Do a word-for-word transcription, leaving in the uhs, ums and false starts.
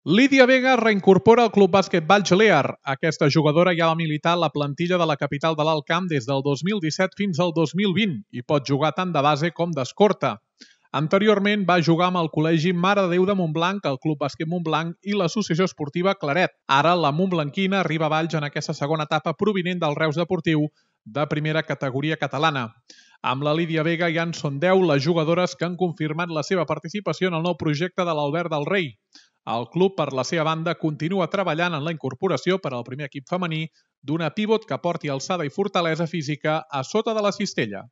Lídia Vega reincorpora el Club Bàsquet Valls-Lear. Aquesta jugadora ja va militar a la plantilla de la capital de l'Alt Camp des del dos mil disset fins al dos mil vint i pot jugar tant de base com d'escorta. Anteriorment va jugar amb el Col·legi Mare de Déu de Montblanc, el Club Bàsquet Montblanc i l'Associació Esportiva Claret. Ara la montblanquina arriba a Valls en aquesta segona etapa provinent del Reus Deportiu de primera categoria catalana. Amb la Lídia Vega ja en són deu les jugadores que han confirmat la seva participació en el nou projecte de l'Albert del Rei. El club, per la seva banda, continua treballant en la incorporació per al primer equip femení d'una pivot que porti alçada i fortalesa física a sota de la cistella.